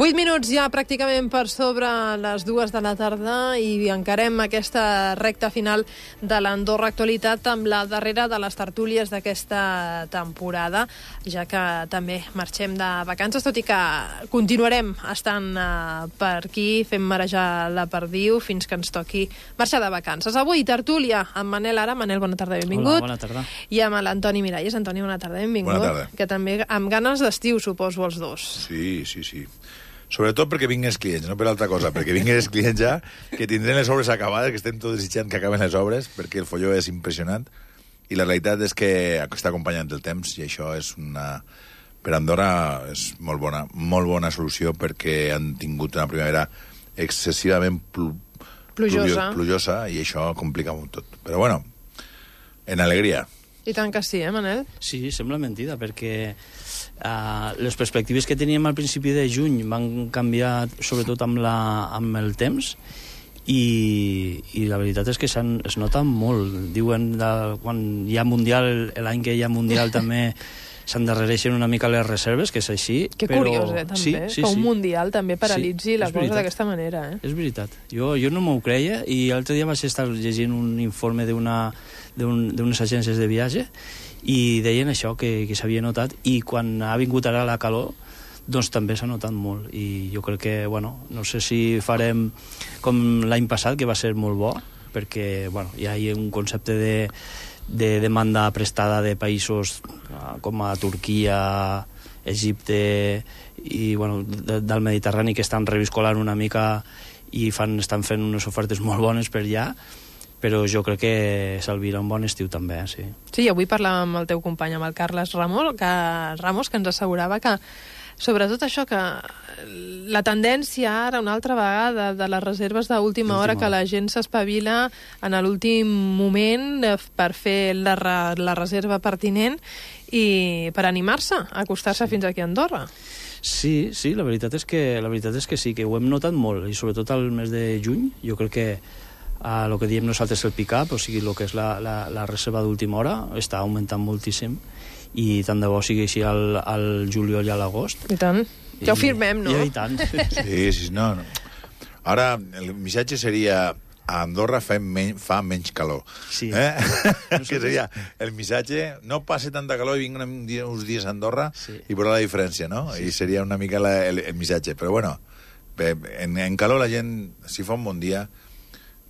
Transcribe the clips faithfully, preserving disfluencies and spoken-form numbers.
Vuit minuts ja pràcticament per sobre les dues de la tarda i encarem aquesta recta final de l'Andorra Actualitat amb la darrera de les tertúlies d'aquesta temporada, ja que també marxem de vacances, tot i que continuarem estant uh, per aquí fent marejar la perdiu fins que ens toqui marxar de vacances. Avui tertúlia amb Manel Ara. Manel, bona tarda, benvingut. Hola, bona tarda. I amb l'Antoni Miralles. Antoni, bona tarda, benvingut. Bona tarda. Que també amb ganes d'estiu, suposo, els dos. Sí, sí, sí. Sobretot perquè vinguin els clients, no per altra cosa, perquè vinguin els clients ja, que tindrem les obres acabades, que estem tots desitjant que acaben les obres, perquè el folló és impressionant, i la realitat és que està acompanyant el temps, i això és una... Per Andorra és molt bona, molt bona solució, perquè han tingut una primavera excessivament pl plujosa. plujosa, i això complica molt tot. Però bueno, en alegria. I tant que sí, eh, Manel? Sí, sembla mentida, perquè uh, les perspectives que teníem al principi de juny van canviar sobretot amb, la, amb el temps, i, i la veritat és que es nota molt. Diuen de, quan hi ha Mundial, l'any que hi ha Mundial també s'endarrereixen una mica les reserves, que és així. Que però... curiós, eh, també, sí, sí, que un sí. Mundial també paralitzi sí, la cosa d'aquesta manera, eh? És veritat. Jo, jo no m'ho creia, i l'altre dia vaig estar llegint un informe d'una d'unes un, agències de viatge, i deien això, que, que s'havia notat, i quan ha vingut ara la calor, doncs també s'ha notat molt, i jo crec que, bueno, no sé si farem com l'any passat, que va ser molt bo, perquè, bueno, ja hi ha un concepte de de demanda prestada de països com a Turquia, Egipte i bueno, de, del Mediterrani, que estan reviscolant una mica i fan, estan fent unes ofertes molt bones per allà, però jo crec que s'albira un bon estiu també, sí. Sí, avui parlàvem amb el teu company, amb el Carles Ramos, que, Ramos, que ens assegurava que sobretot això, que la tendència ara una altra vegada de les reserves d'última hora, que la gent s'espavila en l'últim moment per fer la, la reserva pertinent i per animar-se a acostar-se sí. fins aquí a Andorra. Sí, sí, la veritat és que la veritat és que sí, que ho hem notat molt, i sobretot al mes de juny. Jo crec que el uh, que diem nosaltres el pick-up, o sigui, el que és la, la, la reserva d'última hora, està augmentant moltíssim, i tant de bo sigui així al, al juliol i a l'agost. I tant. Ja ho firmem, no? I, i tant. Sí, sí, no, no. Ara, el missatge seria a Andorra fa, men fa menys calor. Sí. Eh? Que seria el missatge, no passe tanta calor i vinguin uns dies a Andorra sí. i veurà la diferència, no? Sí. I seria una mica la, el, el missatge. Però bueno, en, en calor la gent, si fa un bon dia,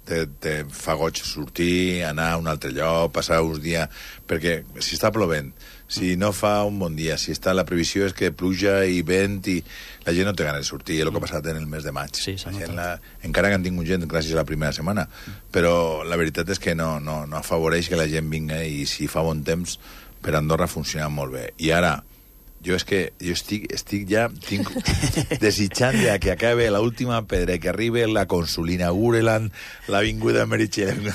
te, te fa goig sortir, anar a un altre lloc, passar uns dies... Perquè si està plovent, si no fa un bon dia, si està la previsió és que pluja i vent i la gent no té ganes de sortir, és el que ha passat en el mes de maig. Sí, la gent la, encara que han tingut gent gràcies a la primera setmana, però la veritat és que no, no, no afavoreix que la gent vinga, i si fa bon temps per Andorra funciona molt bé. I ara, jo és que jo estic, estic ja tinc, desitjant ja que acabe l'última pedra, que arribi la consulina, inaugure l'avinguda Meritxell.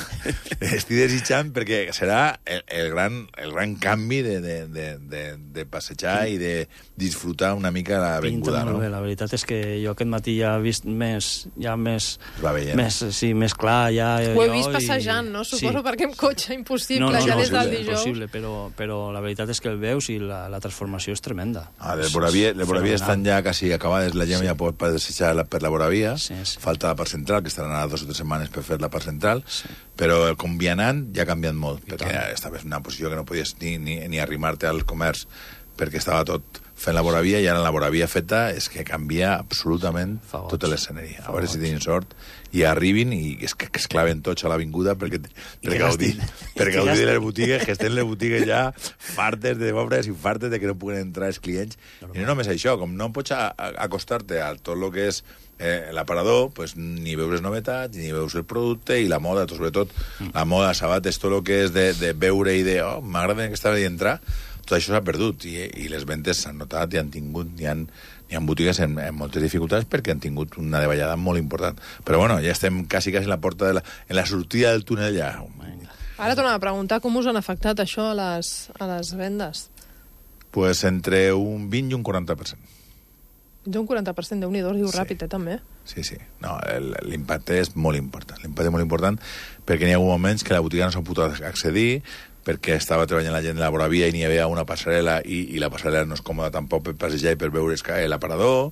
Estic desitjant perquè serà el, el, gran, el gran canvi de, de, de, de, de passejar i de disfrutar una mica l'avinguda. Pinta molt no? bé, la veritat és que jo aquest matí ja he vist més, ja més, va veient. més, sí, més clar. Ja, Ho he vist passejant, i... no? Suposo sí. perquè amb cotxe impossible, no, no, ja no, des del no, dijous. Impossible, però, però la veritat és que el veus i la, la transformació és tremenda. Ah, les Boravia, les Boravia estan ja quasi acabades, la gent sí. ja pot passejar per la Boravia, sí, sí. falta la part central, que estaran a dos o tres setmanes per fer la part central, sí. però com vianant ja ha canviat molt, I perquè tant. Estaves en una posició que no podies ni, ni, ni arrimar-te al comerç, perquè estava tot fent la Boravia, i ara la Boravia feta és que canvia absolutament tota l'escenari. A veure si tenen sort i arribin i es, que es claven tots a l'avinguda perquè, per gaudir, per gaudir de les botigues, que estem les botigues ja fartes de obres i fartes de que no puguen entrar els clients. I no només això, com no pots acostar-te a tot el que és eh, l'aparador, pues, ni veus les novetats, ni veus el producte, i la moda, sobretot mm. la moda, sabates, tot el que és de, de veure i de, oh, m'agrada que estava d'entrar, tot això s'ha perdut, i, i les ventes s'han notat i han tingut, hi ha, hi ha botigues en, en moltes dificultats perquè han tingut una davallada molt important. Però bueno, ja estem quasi, quasi en la porta de la, en la sortida del túnel ja. Ara tornava a preguntar com us han afectat això a les, a les vendes. Pues entre un vint i un quaranta per cent. Fins a un quaranta per cent, Déu-n'hi-do, es diu Sí. ràpid, eh, també. Sí, sí. No, el- l'impacte és molt important. L'impacte és molt important perquè n'hi ha hagut moments que la botiga no s'ha pogut accedir, perquè estava treballant la gent de la voravia i n'hi havia una passarel·la i, i la passarel·la no és còmoda tampoc per passejar i per veure l'aparador,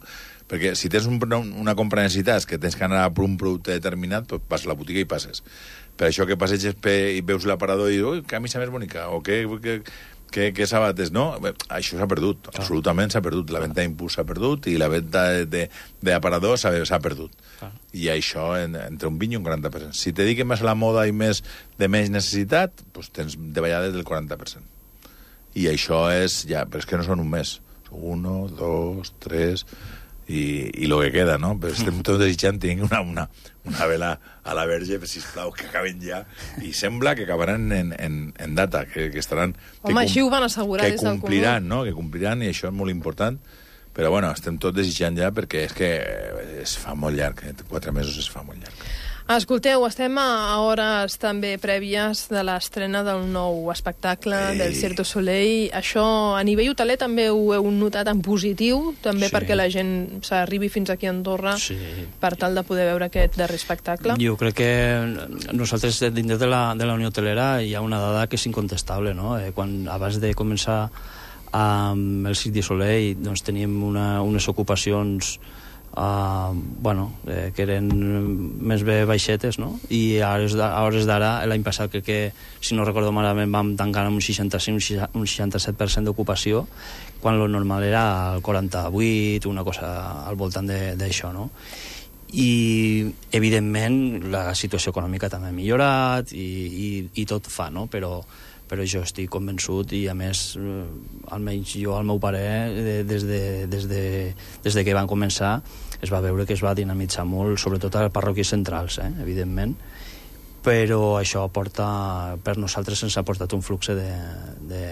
perquè si tens un, una compra de necessitats que tens que anar per un producte determinat, doncs vas a la botiga i passes. Per això que passeges pe, i veus l'aparador i dius, ui, que camisa més bonica, o que... que que, que sabates, no? Bé, això s'ha perdut, clar. Absolutament s'ha perdut. La venda d'impuls s'ha perdut i la venda d'aparador s'ha perdut. Clar. I això en, entre un vint i un quaranta per cent. Si te dediques més a la moda i més de menys necessitat, doncs tens davallades del quaranta per cent. I això és ja... Però és que no són un mes. Uno, dos, tres... I, i lo que queda, no? Però estem tots desitjant tenir una, una, una vela a la verge, sisplau, que acaben ja. I sembla que acabaran en, en, en data, que, que estaran... Home, que així ho van assegurar des del comú. Que compliran, no? Que compliran, i això és molt important. Però, bueno, estem tots desitjant ja perquè és que es fa molt llarg, eh? Quatre mesos es fa molt llarg. Escolteu, estem a hores també prèvies de l'estrena del nou espectacle Ei. del Cirque du Soleil. Això a nivell hoteler també ho heu notat en positiu, també sí. perquè la gent s'arribi fins aquí a Andorra sí. per tal de poder veure aquest darrer espectacle? Jo crec que nosaltres dins de la, de la Unió Hotelera hi ha una dada que és incontestable, no? Eh, quan abans de començar amb el Cirque du Soleil doncs teníem una, unes ocupacions Uh, bueno, eh, que eren més bé baixetes, no? I a hores d'ara, l'any passat, que, que si no recordo malament, vam tancar amb un seixanta-cinc, un seixanta-set per cent d'ocupació, quan lo normal era el quaranta-vuit, una cosa al voltant d'això, no? I, evidentment, la situació econòmica també ha millorat i, i, i tot fa, no? Però però jo estic convençut i a més eh, almenys jo al meu parer des de, des de, des de que van començar es va veure que es va dinamitzar molt, sobretot a les parròquies centrals, eh, evidentment, però això porta, per nosaltres ens ha portat un flux de, de,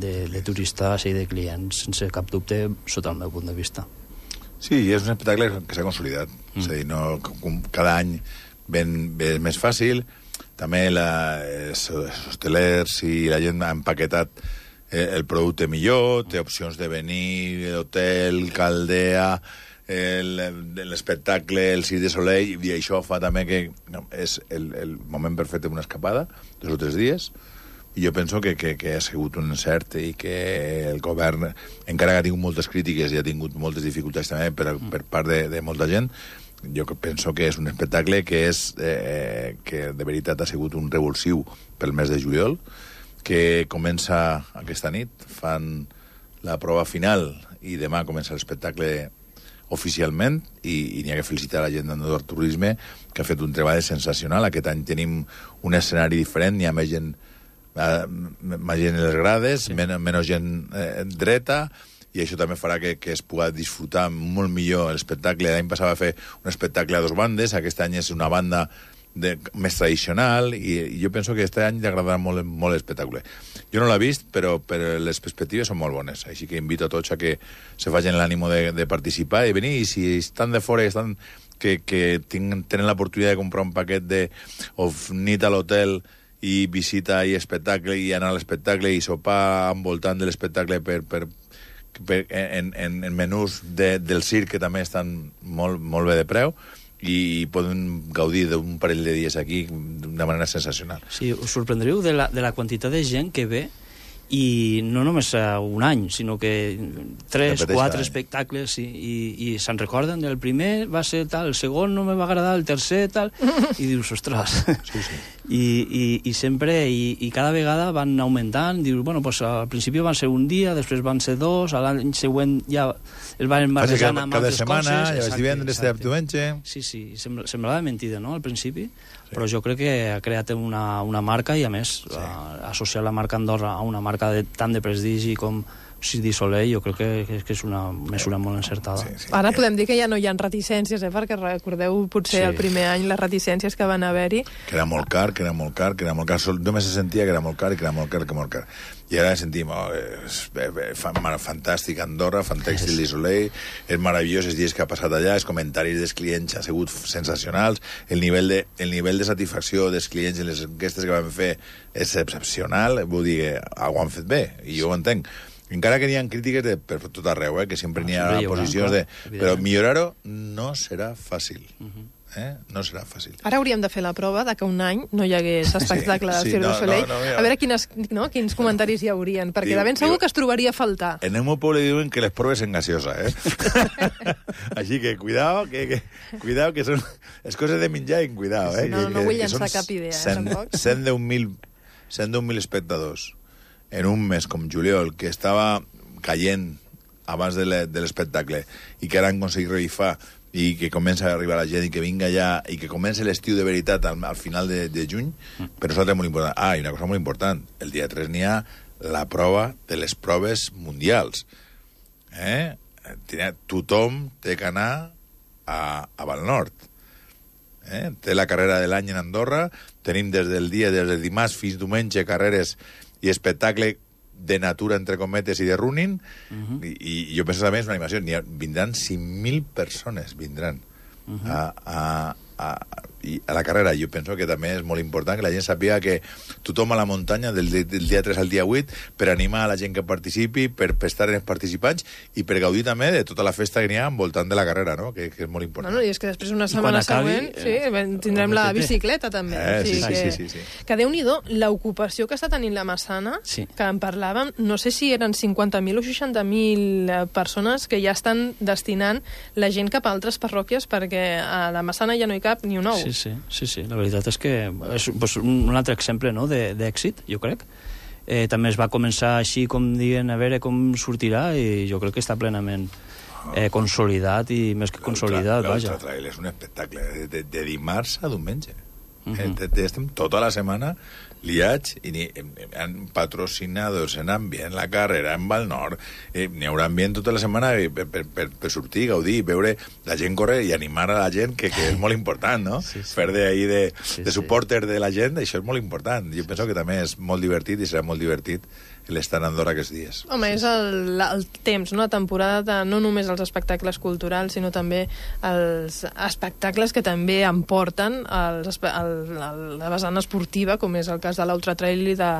de, de turistes i de clients, sense cap dubte, sota el meu punt de vista. Sí, és un espectacle que s'ha consolidat, mm. és a dir, no, cada any ben, ben més fàcil. També la, els hostelers i la gent ha empaquetat eh, el producte millor, té opcions de venir, hotel, caldea, l'espectacle, el Cirque du Soleil, i això fa també que no, és el, el moment perfecte d'una escapada, dos o tres dies, i jo penso que, que, que ha sigut un encert i que el govern, encara que ha tingut moltes crítiques i ha tingut moltes dificultats també per, per part de, de molta gent, jo penso que és un espectacle que és eh, que de veritat ha sigut un revulsiu pel mes de juliol, que comença aquesta nit, fan la prova final i demà comença l'espectacle oficialment i, i n'hi ha que felicitar la gent d'Andorra Turisme, que ha fet un treball sensacional. Aquest any tenim un escenari diferent, n'hi ha més gent, eh, més gent en les grades, sí. men menys gent eh, dreta, i això també farà que, que es pugui disfrutar molt millor l'espectacle. L'any passat va fer un espectacle a dos bandes, aquest any és una banda de, més tradicional, i, i jo penso que aquest any li agradarà molt, molt l'espectacle. Jo no l'he vist, però, però les perspectives són molt bones, així que invito a tots a que se facin l'ànimo de, de participar i venir, i si estan de fora, estan, que, que tinc, tenen l'oportunitat de comprar un paquet de o nit a l'hotel i visita i espectacle, i anar a l'espectacle i sopar envoltant de l'espectacle per... per En, en, en menús de, del circ, que també estan molt, molt bé de preu, i poden gaudir d'un parell de dies aquí de manera sensacional. Sí, us sorprendríeu de la, de la quantitat de gent que ve, i no només un any, sinó que tres, Repeteix quatre espectacles, i, i, i se'n recorden del primer va ser tal, el segon no me va agradar, el tercer tal, i dius, ostres. Sí, sí. I, i, i sempre, i, i cada vegada van augmentant, dius, bueno, pues al principi van ser un dia, després van ser dos, a l'any següent ja es van barrejant amb altres setmana, coses. Cada setmana, ja divendres, de diumenge... Sí, sí, sembla, semblava mentida, no?, al principi, sí. Però jo crec que ha creat una, una marca, i a més, sí. a, associar la marca Andorra a una marca de, tan de prestigi com Cirque du Soleil, jo crec que, que és una mesura molt encertada. Sí, sí. Ara podem dir que ja no hi ha reticències, eh? Perquè recordeu potser sí. el primer any les reticències que van haver-hi. Que era molt car, que era molt car, que era molt car. Només se sentia que era molt car i que era molt car, que molt car. I ara sentim, oh, és fantàstic Andorra, fantàstic Cirque du Soleil, és meravellós els dies que ha passat allà, els comentaris dels clients han sigut sensacionals, el nivell de, el nivell de satisfacció dels clients en les enquestes que vam fer és excepcional, vull dir, ho han fet bé, i jo ho entenc. Encara que n'hi ha crítiques de, per tot arreu, eh, que sempre n'hi ha posicions de... Però millorar-ho no serà fàcil. Eh? No serà fàcil. Ara hauríem de fer la prova de que un any no hi hagués espectacle sí, de Cirque sí, du Soleil. No, no, no, a veure quines, no, quins comentaris hi haurien, perquè diu, de ben segur diu, que es trobaria a faltar. En el meu poble diuen que les proves en gaseosa, eh? Així que cuidao, que, que, cuidao, que són les coses de menjar en cuidao, eh? No, que, no que, vull que llançar cap idea, eh, tampoc. cent deu mil espectadors en un mes com juliol, que estava caient abans de l'espectacle i que ara han aconseguit revifar i que comença a arribar la gent i que vinga ja i que comença l'estiu de veritat al, al final de, de juny, mm. per nosaltres és molt important. Ah, i una cosa molt important, el dia tres n'hi ha la prova de les proves mundials. Eh? Tothom té que anar a, a Val Nord. Eh? Té la carrera de l'any en Andorra, tenim des del dia, des del dimarts fins diumenge, carreres i espectacle de natura, entre cometes, i de running, uh-huh. I, i jo penso també és una animació, ha, vindran cinc mil persones, vindran uh-huh. a, a, a, a la carrera. Jo penso que també és molt important que la gent sàpiga que tothom a la muntanya, del, del dia tres al dia vuit, per animar a la gent que participi, per, per estar en els participants i per gaudir també de tota la festa que n'hi ha envoltant de la carrera, no? que, que és molt important. Bueno, i és que després una setmana acabi, següent sí, eh, tindrem la bicicleta també. Eh, o sigui sí, que, sí, sí, sí, sí. Que Déu-n'hi-do, l'ocupació que està tenint la Massana, sí. que en parlàvem, no sé si eren cinquanta mil o seixanta mil persones que ja estan destinant la gent cap a altres parròquies perquè a la Massana ja no hi cap ni un ou. Sí, sí, sí, sí. La veritat és que és pues, un altre exemple, no?, d'èxit, jo crec. Eh, també es va començar així, com diuen, a veure com sortirà, i jo crec que està plenament eh, consolidat, i més que consolidat, vaja. L'Ultra Trail és un espectacle, de, de, de dimarts a diumenge. Uh -huh. eh, estem tota la setmana liats i ni, han patrocinados en ambient la carrera en Val Nord, eh, n'hi haurà ambient tota la setmana per, per, per, per sortir, gaudir, veure la gent córrer i animar a la gent, que, que és molt important, no? Sí, sí. Fer d'ahir de, sí, de supporter sí. de la gent, això és molt important. Jo penso que també és molt divertit i serà molt divertit l'estar a Andorra aquests dies. Home, és el, el temps, no? La temporada de no només els espectacles culturals, sinó també els espectacles que també emporten els, el, el, la vessant esportiva, com és el cas de l'Ultra Trail i de,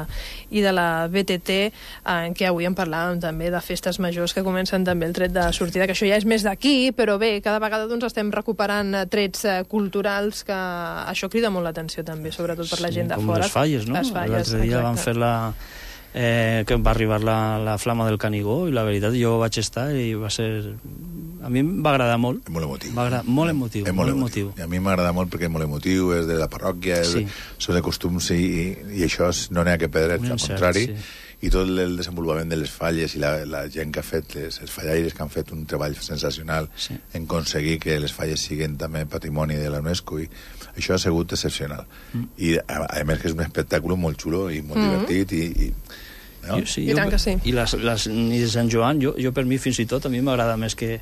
i de la B T T, en què avui en parlàvem també de festes majors que comencen també el tret de sortida, que això ja és més d'aquí, però bé, cada vegada doncs, estem recuperant trets culturals que això crida molt l'atenció també, sobretot per la gent de com fora. Com les falles, no? L'altre dia van fer la... Eh, que va arribar la, la flama del Canigó i la veritat jo vaig estar i va ser... A mi em va agradar molt. És molt emotiu. Va agradar, molt emotiu. És molt, molt emotiu. emotiu. I a mi m'agrada molt perquè és molt emotiu, és de la parròquia, sí. són de costums i, i, i això no n'hi ha que perdre, al contrari. Sí. I tot el desenvolupament de les falles i la, la gent que ha fet, les, els fallaires que han fet un treball sensacional sí. en aconseguir que les falles siguin també patrimoni de la UNESCO, i això ha sigut excepcional. Mm. I a, a més que és un espectacle molt xulo i molt mm. divertit i... i no? Jo, sí, I tant que sí. I les, les nits de Sant Joan, jo, jo per mi fins i tot, a mi m'agrada més que,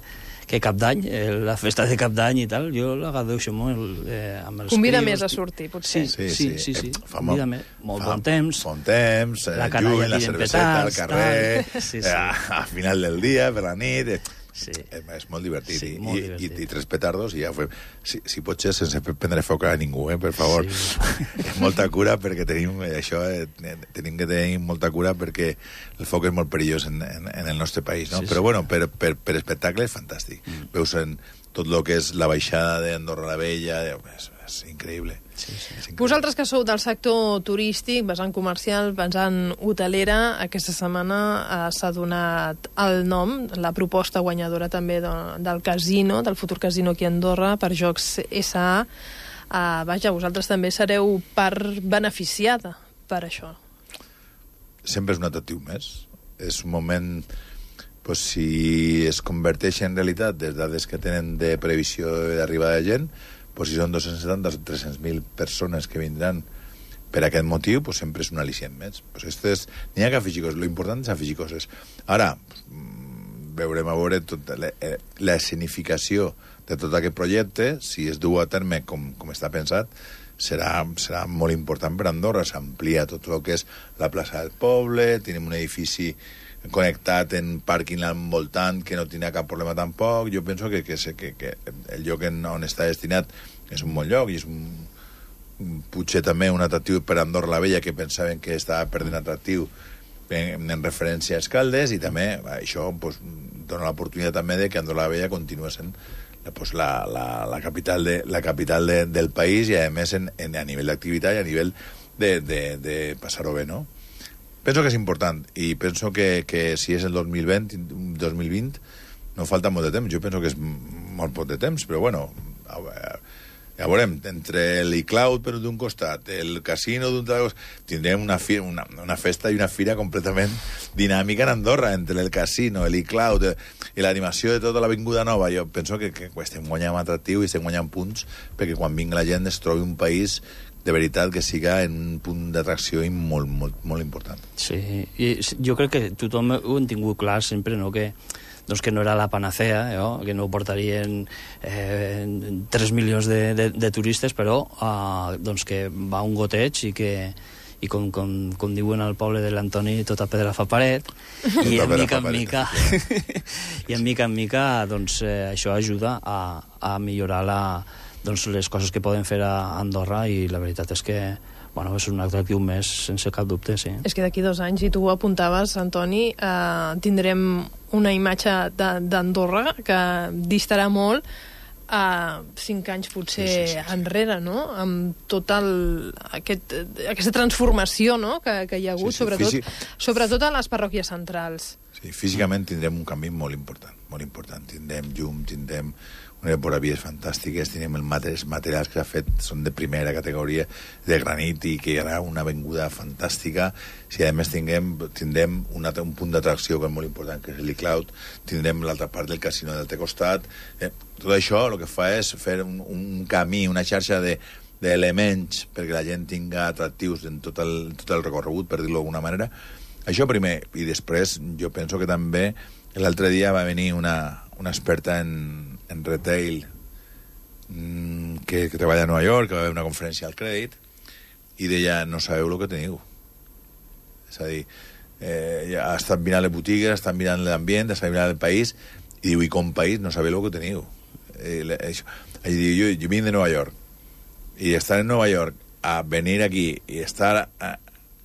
que Cap d'Any, eh, la festa de Cap d'Any i tal, jo la gaudeixo molt eh, amb els Convida crios. més a sortir, potser. Sí, sí, sí. sí, sí. Eh, fa Convida més. Molt fa, bon temps. Bon temps, la el lluny, la cerveseta, al carrer, sí, sí. a, a final del dia, per la nit... Eh. Sí. És, és molt divertit. Sí, I, molt i, divertit. I, i tres petardos i ja fem... Si, si pot ser sense prendre foc a ningú, eh, per favor. Sí. Molta cura, perquè tenim això, eh, tenim que tenir molta cura perquè el foc és molt perillós en, en, en el nostre país, no? Sí, Però, sí. bueno, per, per, per espectacle és fantàstic. Mm. Veus en tot el que és la baixada d'Andorra la Vella, és, és increïble. Sí, sí. Vosaltres que sou del sector turístic, vessant comercial, vessant hotelera, aquesta setmana eh, s'ha donat el nom, la proposta guanyadora també de, del casino, del futur casino aquí a Andorra, per Jocs S A. Eh, vaja, vosaltres també sereu part beneficiada per això. Sempre és un atractiu més. És un moment... Pues, si es converteix en realitat les dades que tenen de previsió d'arribada de gent, pues, si són dos-cents setanta o tres-cents mil persones que vindran per aquest motiu, pues, sempre és un al·licient més. Pues, és, n'hi ha que afegir coses. L'important és afegir coses. Ara, veurem a veure tot, la, la escenificació de tot aquest projecte, si es du a terme com, com està pensat, serà, serà molt important per Andorra. S'amplia tot el que és la plaça del poble, tenim un edifici connectat en pàrquing al voltant que no tindrà cap problema tampoc. Jo penso que, que, que, que el lloc on està destinat és un bon lloc i és un, potser també un atractiu per Andorra la Vella, que pensaven que estava perdent atractiu en, en referència a Escaldes, i també això pues, dona l'oportunitat també de que Andorra la Vella continua sent pues, la, la, la capital, de, la capital de, del país, i a més en, en, a nivell d'activitat i a nivell de, de, de passar-ho bé, no? Penso que és important, i penso que, que si és el dos mil vint, dos mil vint no falta molt de temps. Jo penso que és molt poc de temps, però bueno, ja veurem, entre l'e-cloud per d'un costat, el casino d'un altre costat, tindrem una, fi, una, una festa i una fira completament dinàmica en Andorra, entre el casino, l'e-cloud i l'animació de tota l'avinguda nova. Jo penso que, que estem guanyant atractiu i estem guanyant punts perquè quan vingui la gent es trobi un país de veritat que siga en un punt d'atracció molt, molt, molt important. Sí, i jo crec que tothom ho hem tingut clar sempre, no?, que doncs que no era la panacea, eh, que no portarien eh, tres milions de, de, de turistes, però eh, doncs que va un goteig i que i com, com, com diuen al poble de l'Antoni, tota pedra fa paret, i en mica en mica i en mica en mica doncs eh, això ajuda a, a millorar la, doncs, les coses que poden fer a Andorra, i la veritat és que bueno, és un atractiu més, sense cap dubte, sí. És que d'aquí dos anys, i tu ho apuntaves, Antoni, eh, tindrem una imatge d'Andorra que distarà molt a cinc anys potser sí, sí, sí, sí. enrere, no? Amb tota aquest, aquesta transformació, no?, que, que hi ha hagut, sí, sí, sobretot, físic... sobretot a les parròquies centrals. Sí, físicament tindrem un canvi molt important, molt important. Tindrem llum, tindrem unes voravies fantàstiques, tindrem el materials, materials que s'ha fet, són de primera categoria, de granit, i que hi haurà una avinguda fantàstica. Si a més tinguem, tindrem un, un punt d'atracció que és molt important, que és l'e-cloud, tindrem l'altra part del casino del altre costat. Eh, tot això el que fa és fer un, un camí, una xarxa de d'elements perquè la gent tinga atractius en tot el, tot el recorregut, per dir-lo d'alguna manera. Això primer, i després jo penso que també l'altre dia va venir una, una experta en, en retail mmm, que, que treballa a Nova York, que va haver una conferència al Crèdit, i deia, no sabeu el que teniu. És a dir, eh, ja ha estat mirant les botigues, ha estat mirant l'ambient, ha estat mirant el país, i diu, i com país no sabeu el que teniu. Eh, això. I diu, jo, jo vinc de Nova York, i estar en Nova York, a venir aquí, i estar a,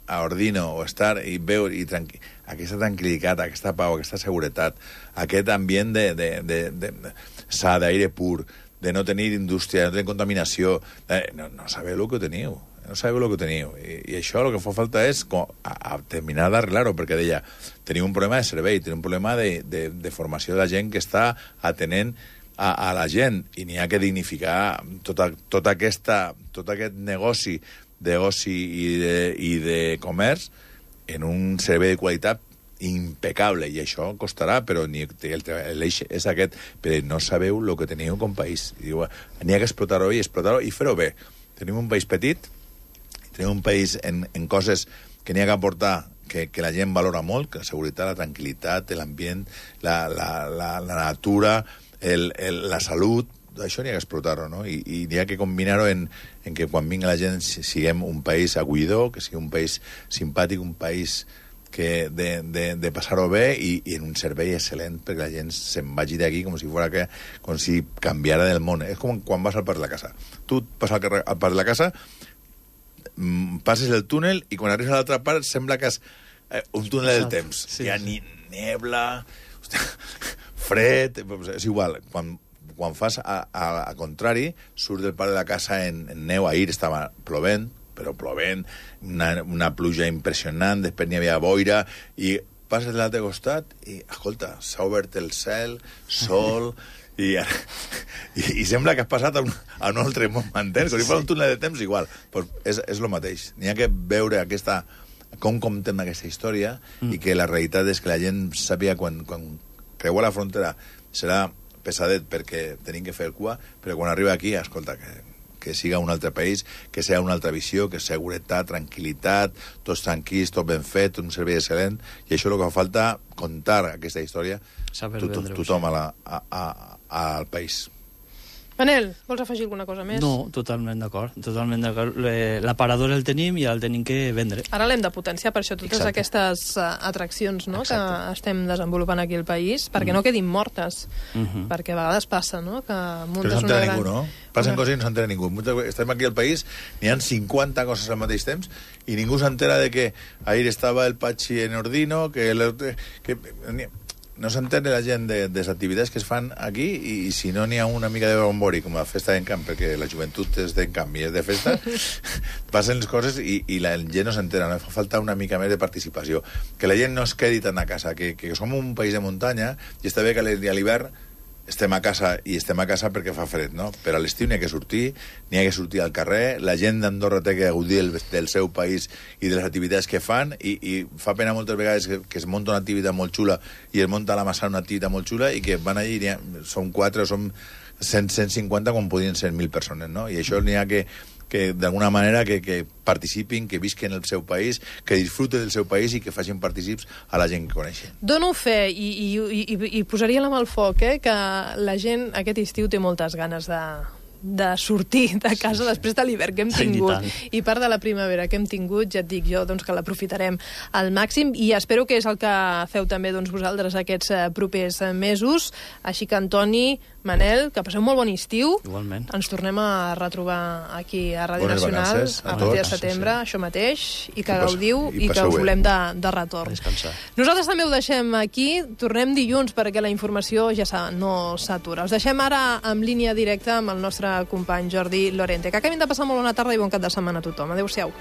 a Ordino, o estar i veure i tranqui... aquesta tranquil·litat, aquesta pau, aquesta seguretat, aquest ambient de, de, de, de, de sa, d'aire pur, de no tenir indústria, no tenir contaminació, eh, no, no sabeu el que teniu, no sabeu el que teniu. I, i això el que fa falta és com, a, a terminar d'arreglar-ho, perquè deia, tenim un problema de servei, tenim un problema de, de, de formació de la gent que està atenent a, a la gent, i n'hi ha que dignificar tota, tota aquesta, tot aquest negoci d'oci i de, i de comerç en un servei de qualitat impecable, i això costarà, però ni, l'eix és aquest, però no sabeu el que teniu com país. I diu, n'hi ha que explotar-ho i explotar-ho i fer-ho bé. Tenim un país petit, tenim un país en, en coses que n'hi ha que aportar, que, que la gent valora molt, que la seguretat, la tranquil·litat, l'ambient, la, la, la, la natura, el, el, la salut, això n'hi ha que explotar-ho, no? I, i n'hi ha que combinar-ho en, en que quan vingui la gent siguem un país acollidor, que sigui un país simpàtic, un país que de, de, de passar-ho bé, i, i en un servei excel·lent perquè la gent se'n vagi d'aquí com si fora que, com si canviara del món. És com quan vas al parc de la casa. Tu vas al, al parc de la casa, passes el túnel, i quan arribes a l'altra part sembla que és eh, un túnel del temps. Sí, hi ha ni nebla, hòstia, fred, és igual. Quan quan fas a, a, a contrari, surt del parc de la casa en, en neu. Ahir estava plovent, però plovent, una, una pluja impressionant, després n'hi havia boira, i passes de l'altre costat i, escolta, s'ha obert el cel, sol, i, i, i sembla que has passat a un, a un altre món, m'entens? Com si fos un túnel de temps, igual. Pues és, és el mateix. N'hi ha que veure aquesta, com comptem aquesta història, mm. i que la realitat és que la gent sàpiga quan, quan creua la frontera serà pesadet perquè tenim que fer cua, però quan arriba aquí, escolta, que, que siga un altre país, que sigui una altra visió, que seguretat, tranquil·litat, tots tranquils, tot ben fet, un servei excel·lent, i això és el que fa falta, contar aquesta història to, to, tothom a la, a, a, al país. Manel, vols afegir alguna cosa més? No, totalment d'acord. Totalment d'acord. L'aparador el tenim i el tenim que vendre. Ara l'hem de potenciar, per això totes Exacte. aquestes uh, atraccions no, que estem desenvolupant aquí al país, perquè mm. no quedin mortes. Mm -hmm. Perquè a vegades passa, no?, que muntes no una gran... ningú, no? Passen una... coses i no s'entera ningú. Estem aquí al país, n'hi ha cinquanta coses al mateix temps i ningú s'entera de que ahir estava el Pachi en Ordino, que... El, que no s'entén la gent de, de les activitats que es fan aquí i, i si no n'hi ha una mica de bombori com la festa d'Encamp, perquè la joventut és d'Encamp i és de festa, passen les coses i, i la gent no s'entera, no? Fa falta una mica més de participació, que la gent no es quedi tant a casa, que, que som un país de muntanya i està bé que a l'hivern estem a casa i estem a casa perquè fa fred, no? Però a l'estiu n'hi ha que sortir, n'hi ha que sortir al carrer, la gent d'Andorra té que gaudir del, del seu país i de les activitats que fan i, i fa pena moltes vegades que, que es munta una activitat molt xula i es munta a la Massana una activitat molt xula i que van allí, ha, són quatre o són cent, cent cinquanta com podien ser mil persones, no? I això n'hi ha que que d'alguna manera que, que participin, que visquen el seu país, que disfruten del seu país i que facin partícips a la gent que coneixen. Dono fe i, i, i, i posaria la mà al foc, eh, que la gent aquest estiu té moltes ganes de, de sortir de casa després de l'hivern que hem tingut i part de la primavera que hem tingut, ja et dic jo doncs, que l'aprofitarem al màxim i espero que és el que feu també doncs, vosaltres aquests propers mesos. Així que, Antoni, Manel, que passeu molt bon estiu. Igualment. Ens tornem a retrobar aquí a Ràdio Bones Nacional vacances, a, a partir de setembre, sí, sí. això mateix, i que I gaudiu i, i que us volem de, de retorn. Descansar. Nosaltres també ho deixem aquí, tornem dilluns perquè la informació ja no s'atura. Us deixem ara en línia directa amb el nostre company Jordi Lorente. Que acabin de passar molt bona tarda i bon cap de setmana a tothom. Adéu-siau.